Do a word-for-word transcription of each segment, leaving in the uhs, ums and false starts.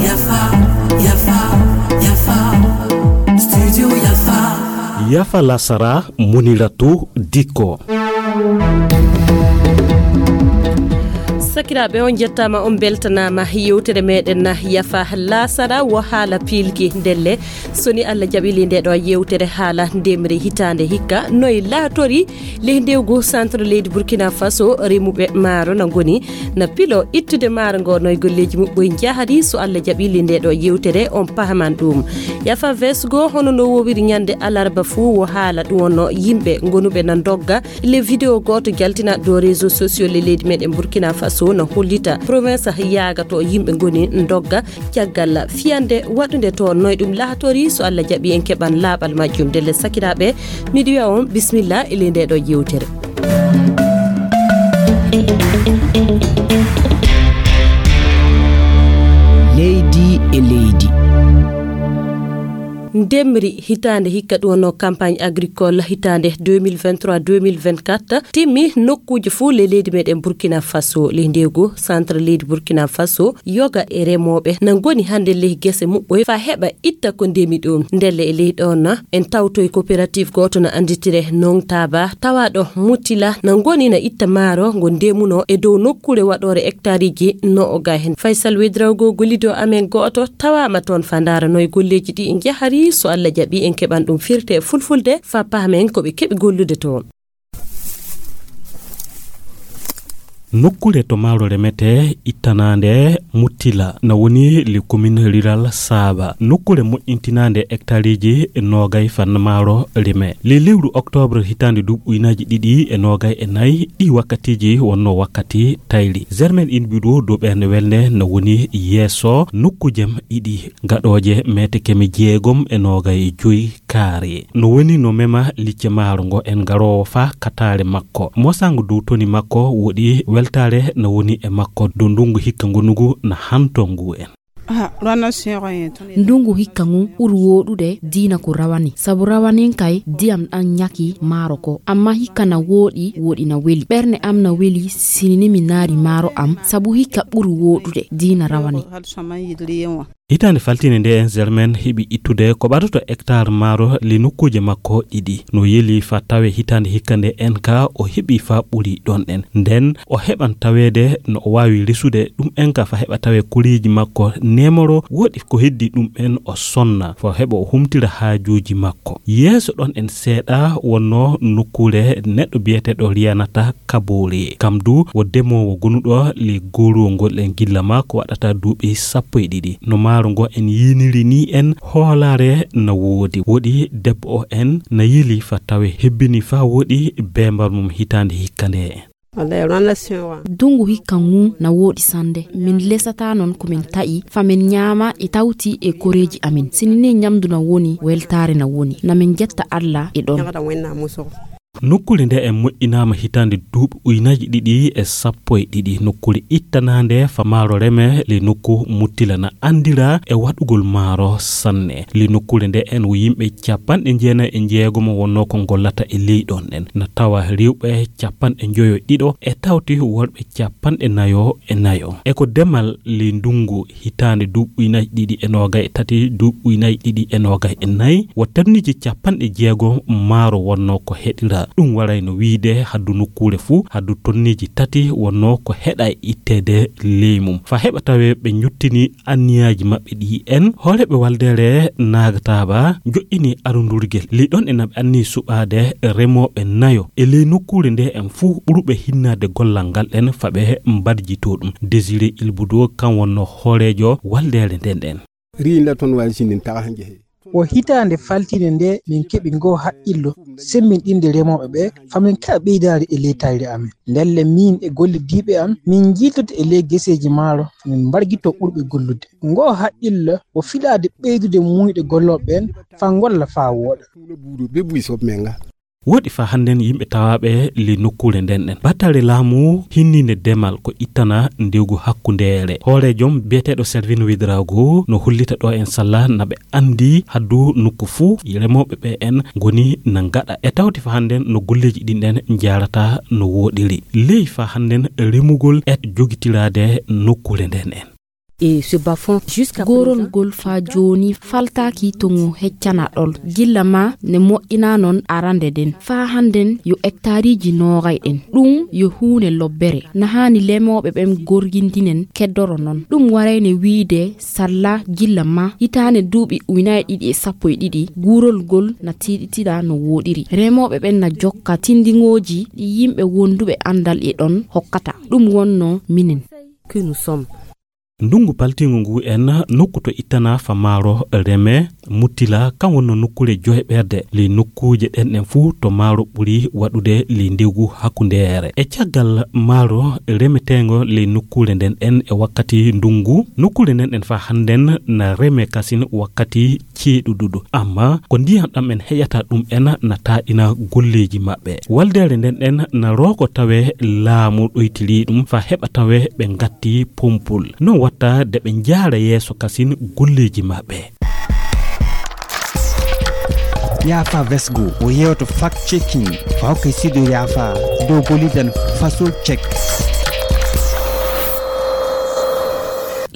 Yafa, Yafa, Yafa, Studio Yafa. Yafa lasara, Muniratu Dikko. Sakiraaɓe, on njettaama, on mbeltanaama. Yewtere meɗen Yafa lasara wo haala piilki ndelle. So ni Allah jaɓili nde ɗo yewtere haala ndemri hitaande hikka, noy laatori ley ndewgu centre leydi Burkina Faso, remuɓe maaro na ngoni na pilo ittude maaro ngo, noy golleeji muɓɓoy njahri. So Allah jaɓili nde ɗo yewtere, on pahaman ɗum. Yafa vesgo, hono no wowiri ñande alarba fuu, wo haala ɗum wonno yimɓe ngonuɓe na ndogga. Le vidéo gooto jaltina dow réseaux sociaux le leydi meɗen Burkina Faso na hollita province yaaga to yimɓe ngoni ndogga caggal fiyande waɗunde to. Noy ɗum laatori, so Allah jaɓi en keɓan laaɓal majjum. Ndelle sakiraaɓe, miɗo wiya on bismillah e ley nde ɗo yewtere. Leydi e leydi. Ndemri hitaande hikka ɗum wonno campagne agricole hitaande deux mille vingt-trois deux mille vingt-quatre timmi nokkuuji fuu ley leydi meɗen Burkina Faso. Ley ndewgu centre leydi Burkina Faso, yoga e remooɓe na ngoni hannde ley gese muɓɓoy faa heɓa itta ko ndemi ɗum. Ndelle e ley ɗon na en tawtoy coopérative gooto na annditire non Taba, tawaaɗo Mutila, na ngoni na itta maaro ngo ndemuno e dow nokkuure waɗoore hectareji no o ga hen. Faysal Wedrawgo gollido amen gooto tawaama toon faa ndaara noy golleeji ɗi njahri. So Allah jaɓi en keɓan ɗum firte e fulfulde faa pahamen ko ɓe keɓi gollude toon. Nokkuure to maaro remetee ittanaande Mutila na woni le commune rurale Saba. Nokkuure moƴƴintinaande hectareji noogay faa maaro reme. Le lewru octobre hitaande duuɓi ujunaaji ɗiɗi e noogay e nayi, ɗi wakkatiiji wonno wakkati tayri. Germaine Inbiɗo dow ɓeen welnde na woni yeeso nokkuujem ɗiɗi gaɗooje meetekeme jeegom e noogay e joy kaare. No woni no mema licce maaro ngo en garoowo faa kataare makko. Mosango dow toni makko woɗi weltaare na woni e makko dow ndungu hikka ngonugu na hanto ngu en. Ah, rana sero en tun. Ndungu hikka ngu ɓuri wooɗude diina ko rawani. Sabu rawani kay diyam ɗan ñaki maaro ko. Amma hikka na wooɗi, wooɗi na weli. Ɓernde am na weli sinini mi naari maaro am. Sabu hikka ɓuri wooɗude diina rawani. Hitaande faltiinde nde en Germaine heɓi ittude ko ɓadata hectare maaro ley nokkuuje makko ɗiɗi. No yeli faa tawe hitaande hikka nde en ka o heɓi faa ɓuri ɗon en. Nden o heɓan taweede no o waawi resude ɗum en ka faa heɓa tawe koreeji makko nemoro woɗi ko heddi ɗum en o sonna faa heɓa o humtira haajuuji makko. Yeeso ɗon en seeɗa wonno nokkuure neɗɗo biyeteeɗo Riyanata Kaboore. Kam du wo demoowo gonuɗo ley gooruwol ngol en gilla maa ko waɗata duuɓi sappo e ɗiɗi. No maaro ngo en yiiniri ni en hoolaare na woodi. Woɗi debbo o en na yeli faa tawe hebbini faa woɗi beembar mum hitaande hikka nde. Dungu hikka ngu na woɗi sande. Min lesata non ko min ta'i, faa min ñaama e tawti e koreeji amin. Sinini ñamdu na woni, weltaare na woni. Na min jetta Alla e ɗon. Nokkuure nde en moƴƴinaama hitaande duuɓi ujunaaji ɗiɗi e sappo e ɗiɗi. Nokkuure ittanaande faa maaro reme ley nokku Muttila na anndira e waɗugol maaro sanne. Ley nokkuure nde en wo yimɓe capanɗe jeenayi e jeegomo wonnoo ko ngollata e ley ɗon en. Na tawa rewɓe capanɗe njoyo e ɗiɗo e tawti worɓe capanɗe nayo e nayo. E ko demal ley ndungu hitaande duuɓi ujunaaji ɗiɗi e noogay e tati, duuɓi ujunaaji ɗiɗi e noogay e nayi, wo tonneeji capanɗe jeego maaro wonnoo ko heɗira. Ɗum warayno wiyde haddu nokkuure fuu, haddu tonneeji tati wonnoo ko heɗa e itteede ley mum. Faa heɓa tawee ɓe njottini anniyaaji maɓɓe ɗi en, hooreeɓe waldeere Naagataaba joƴƴini arundurgel. Ley ɗon e na ɓe anniyii suɓaade remooɓe nayo e ley nokkuure nde en fuu ɓurɓe hinnaade gollal ngal en faa ɓe mbarjitoo ɗum. Désiré Ilbudo kan wonnoo hooreejo waldeere nden ɗen. Riin la ton waali sinin taxa njehe. Wo hitaande faltiinde nde min keɓi ngoo haqqillo semmbinɗinde remooɓe ɓe, faa min keɓa ɓeydaari e ley tayre amen. Ndelle miin e gollidiiɓe am, min njiiltoto e ley geseeji maaro, faa min mbargitoo ɓurɓe gollude. Ngoo haqqillo wo filaade ɓeydude muuyɗe gollooɓe ɓeen, faa ngolla faa wooɗa. Ɓe buy soɓ men nga. Woɗi faa hannden yimɓe tawaaɓe ley nokkuure nden ɗen. Batale laamu hinniinde demal ko ittana ndewgu hakkundeere. Hooreejom biyeteeɗo Selvin Widrago no hollita ɗo en salla na ɓe anndi haddu nokku fuu remooɓe ɓe en ngoni na ngaɗa. E tawti faa hannden no golleeji ɗin ɗen njaarata no wooɗiri. Ley faa hannden remugol e jogitiraade nokkuure nden en. Et ce bas-fond jusqu'à goorol présent ngol faa jooni faltaaki to ngo heccana ɗol. Gilla ma ne moƴƴina non arande nden. Faa hannden yo hectareiji noogay ɗen. Ɗum yo huune lobbere. Na haani lemooɓe ɓen gorgindinen keddoro non. Ɗum warayne wiide salla gilla ma hitaande duuɓi ujunaaji ɗiɗi e sappo e ɗiɗi, guurol ngol na tiiɗitira no wooɗiri. Remooɓe ɓen na jokka tinndingooji ɗi yimɓe wonduɓe anndal e ɗon hokkata. Ɗum wonno minen. Que nous sommes. Ndungu paltiingu ngu en nokku to ittana fa maaro reme muttila kan wonno nokkuure joyɓerde ley nokkuuje ɗen ɗen fuu to maaro ɓuri waɗude ley ndewgu hakkundeere. E caggal maaro remeteengo ley nokkuure nden ɗen e wakkati ndungu, nokkuure nden ɗen faa hannden na reme kasin wakkati ceeɗuɗuɗo. Amma ko ndiyan ɗam en heƴata ɗum en na taaɗina golleeji maɓɓe. Waldeere nden ɗen na rooko tawe laamu ɗoytiri ɗum faa heɓa tawe ɓe ngatti pompol. Non watta de ɓe njaara yeeso kasin golleeji maɓɓe. Yaafa Vesgo o yeewto fact checking faa hokka sido yaafa dow gollidan faso check.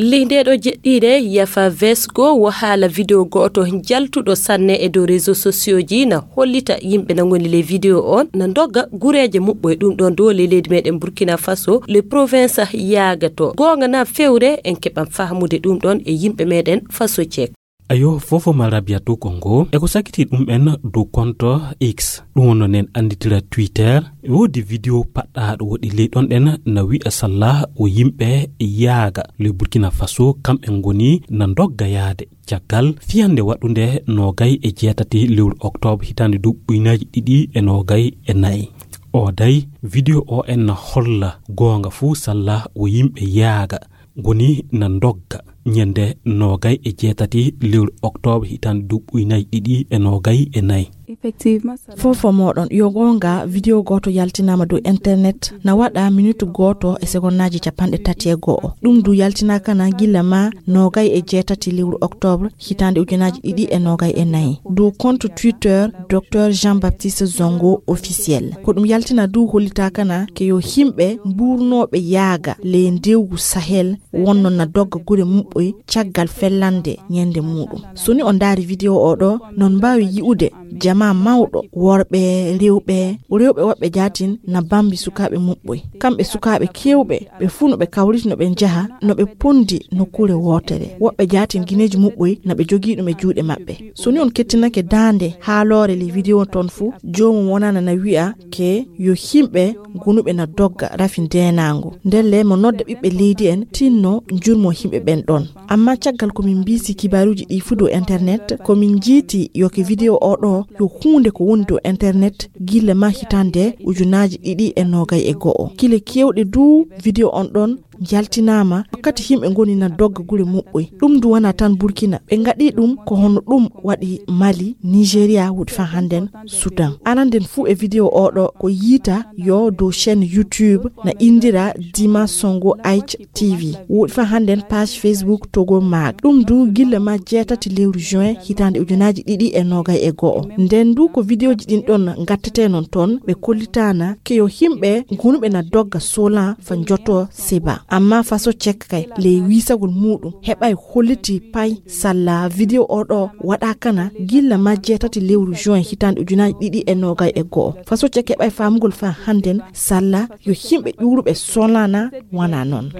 Ley nde ɗo jeɗɗiire, Yafa Vesgo wo haala video gooto jaltuɗo sanne e dow réseaux sociaux ji na hollita yimɓe na ngoni ley video on na ndogga gureeje muɓɓoy. Ɗum ɗon dow ley leydi meɗen Burkina Faso, le province Yaaga to. Goonga na fewre, en keɓan fahmude ɗum ɗon e yimɓe meɗen Faso Cek. Ayo, fofo ma Rabiatu Kongo, e ko sakiti ɗum en dow konto X, ɗum wonno nen annditira Twitter, e woodi video paɗɗaaɗo woɗi ley ɗon ɗen na wi'a salla o yimɓe Yaaga, le Burkina Faso, kamɓe ngoni na ndogga yaade. Caggal fiyande waɗunde noogay e jeetati lewru oktoobre hitaande duuɓi ujunaaji ɗiɗi e noogay e nayi. O day, video o en na holla goonga fuu salla o yimɓe Yaaga ngoni na ndogga ñande noogay e jeetati lewru oktoobre hitaande duuɓi ujunaaji ɗiɗi e noogay e nayi. Effectivement, ça Fofo moɗon, yo goonga, video gooto yaltinaama dow internet, na waɗa minutu gooto e segonnaaji capanɗe tati e go'o. Ɗum du yaltinaakana gilla ma noogay e jeetati lewru oktoobre, hitaande ujunaaji ɗiɗi e noogay e nayi. Dow compte Twitter, Docteur Jean-Baptiste Zongo officiel. Ko ɗum yaltina du hollitaakana ke yo himɓe mbuurnooɓe Yaaga ley ndewgu Sahel wonno na dogga gure muɓɓoy caggal fellande ñande muɗum. So ni on ndaari video o ɗo, non mbaawi yi'ude jamaa mawɗo, worɓe, rewɓe, rewɓe woɓɓe jaatin na bambi sukaaɓe muɓɓoy. Kamɓe sukaaɓe keewɓe, ɓe fuu no ɓe kawriti, no ɓe njaha, no ɓe pondi nokkuure wootere. Woɓɓe jaatin gineeji muɓɓoy na ɓe jogii ɗum e juuɗe maɓɓe. So ni on kettinake daande haaloore ley video ton fuu, joomum wonana na wi'a ke yo himɓe gonuɓe na dogga rafi ndeenaango. Ndelle mo nodda ɓiɓɓe leydi en tinno njurmo himɓe ɓen ɗon. Amma caggal ko min mbiisi kibaaruuji ɗi fuu dow internet, ko min njiiti yo ke video o ɗo yo huunde ko woni dow internet gilla ma hitaande ujunaaji ɗiɗi e noogay e go'o. Kile keewɗe du video on ɗon jaltinaama wakkati himɓe ngoni na dogga gure muɓɓoy. Ɗum du wona tan Burkina. Ɓe ngaɗi ɗum ko hono ɗum waɗi Mali, Nigeria, wuɗi faa hannden Sudan. Aranden fuu e video o ɗo ko yiita yo dow chaîne YouTube na indira Dima Songo H T V. Wuɗi faa hannden page Facebook Togo Mag. Ɗum du gilla ma jeetati lewru juin hitaande ujunaaji ɗiɗi e noogay e go'o. Nden du ko videoji ɗin ɗon ngattete non ton ɓe kollitaana ke yo himɓe gonuɓe na dogga solan fa njoto seba. Amma faso cek kay ley wiisagol muɗum heɓay holliti pay salla video o ɗo waɗa kana gilla ma jeetati lewru juin hitaande ujunaaji ɗiɗi e noogay e go'o. Faso cek heɓay faamugol fa hannden salla yo himɓe ƴuuruɓe solana wana non.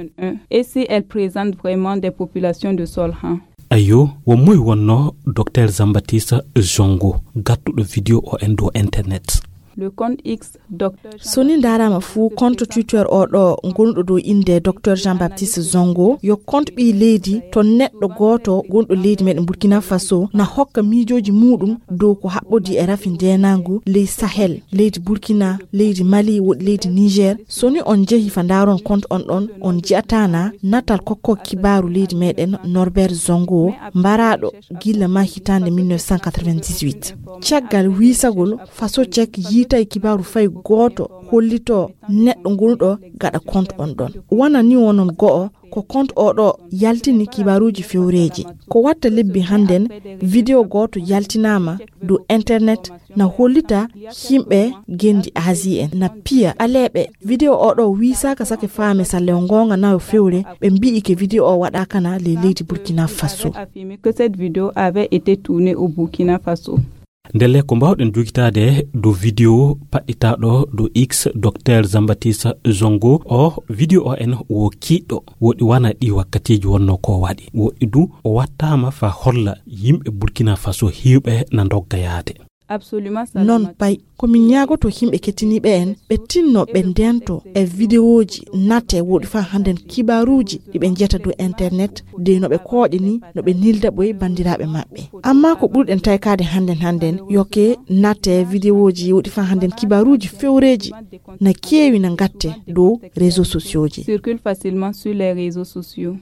Et si elle présente vraiment des populations de Solhan? Ayo, wo moy wonno Docteur Zambatista Zongo, gattuɗo video o en dow internet? Le compte X, Docteur So ni ndaaraama fuu, compte Twitter oo ɗoo ngonɗo dow innde Docteur Jean-Baptiste Zongo yo compte ɓii leydi to neɗɗo gooto gonɗo leydi meɗen Burkina Faso na hokka miijooji muuɗum dow ko haɓɓodii e rafi ndeenaangu ley Sahel, leydi Burkina, leydi Mali, woɗi leydi Niger. So ni on njehi fa ndaaron compte on ɗon, on ji'ataa na natal kokko kibaaru leydi meɗen Norbert Zongo, mbaraaɗo gilla maa hitaande mille neuf cent quatre-vingt-dix-huit. Caggal wiisagol, Faso Cek yiitay kibaaru fay gooto hollitoo neɗɗo gonɗo gaɗa compte on ɗon. Wona ni wonon go'o, ko compte oo ɗoo yaltini kibaaruuji fewreeji. Ko watta lebbi hannden, video gooto yaltinaama dow internet na hollita yimɓe gendi Asie en na piya aleeɓe. Video oo ɗoo wiisaaka sake faame salle o ngoonga na o fewre, ɓe mbi'i ke video o waɗaaka na ley leydi Burkina Faso. Affirmé que cette vidéo avait été tournée au Burkina Faso. Ndelle ko mbaawɗen jogitaade dow video paɗɗitaaɗo dow X, Docteur Jean-Baptiste Zongo. O video o en wo kiiɗɗo, woɗi wana ɗi wakkatiiji wonno ko waɗi. Woɗi du o wattaama fa holla yimɓe Burkina Faso hiwɓe na ndogga yaade. Absolument, non Salimata. Pay, ko min ñaagoto yimɓe kettiniiɓe en, ɓe tinno ɓe ndento e videoji natte woɗi fa hannden kibaaruuji ɗi ɓe njiyata dow internet, de no ɓe kooƴe ni, no ɓe nilda ɓoy banndiraaɓe maɓɓe. Amma ko ɓurɗen taykaade hannden hannden, yoke natte videoji woɗi fa hannden kibaaruuji fewreeji na keewi na ngatte dow réseaux sociaux ji. Circule facilement sur les réseaux sociaux.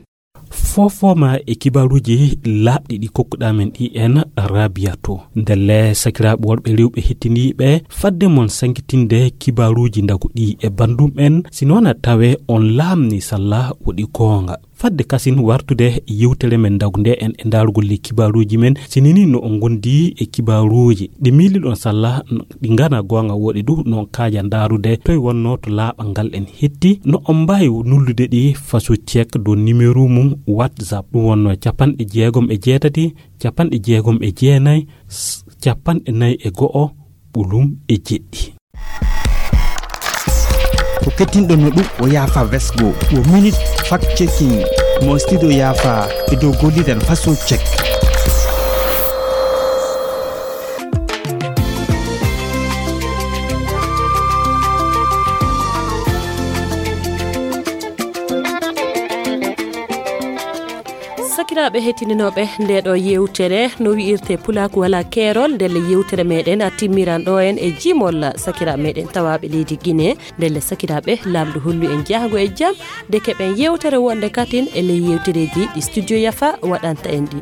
Fofooma e kibaaruuji laaɓɗi ɗi kokkuɗaa men ɗi en, Rabiatou. Ndelle sakiraaɓe worɓe rewɓe hettiniiɓe, fadde mon sankitinde kibaaruuji ndagu ɗi e banndum en, si noon a tawe on laamni salla woɗi goonga. Fadde kasin wartude yewtere men ndagu nde en e ndaarugol le kibaaruuji men, si nini no on ngondi e kibaaruuji ɗi miiliɗon salla ɗi ngana goonga woɗi du no on kaaja ndaarude toy wonno to laaɓal ngal en hetti, no on mbaawi nullude ɗi Faso Cek dow numéro mum WhatsApp. Ɗum wonno capanɗe jeegom e jeetati, capanɗe jeegom e jeenayi, s-, capanɗe nayi e go'o, ɓolum e jeɗɗi. Ko kettinɗo no ɗum o yaafa vesgo, o minute fact checking, mo studio yaafa e dow golliren Faso Cek. Sakiraaɓe heɗtinooɓe nde ɗo yewtere, no wi'irte Pulaaku Walaa Keerol, ndelle yewtere meɗen a timmiran ɗo en e jimol sakiraaɓe meɗen tawaaɓe leydi Gine. Ndelle sakiraaɓe, Laamɗo hollu en jahgo e jam, de keɓen yewtere wonde katin e ley yewtereeji ɗi Studio Yafa waɗanta en ɗi.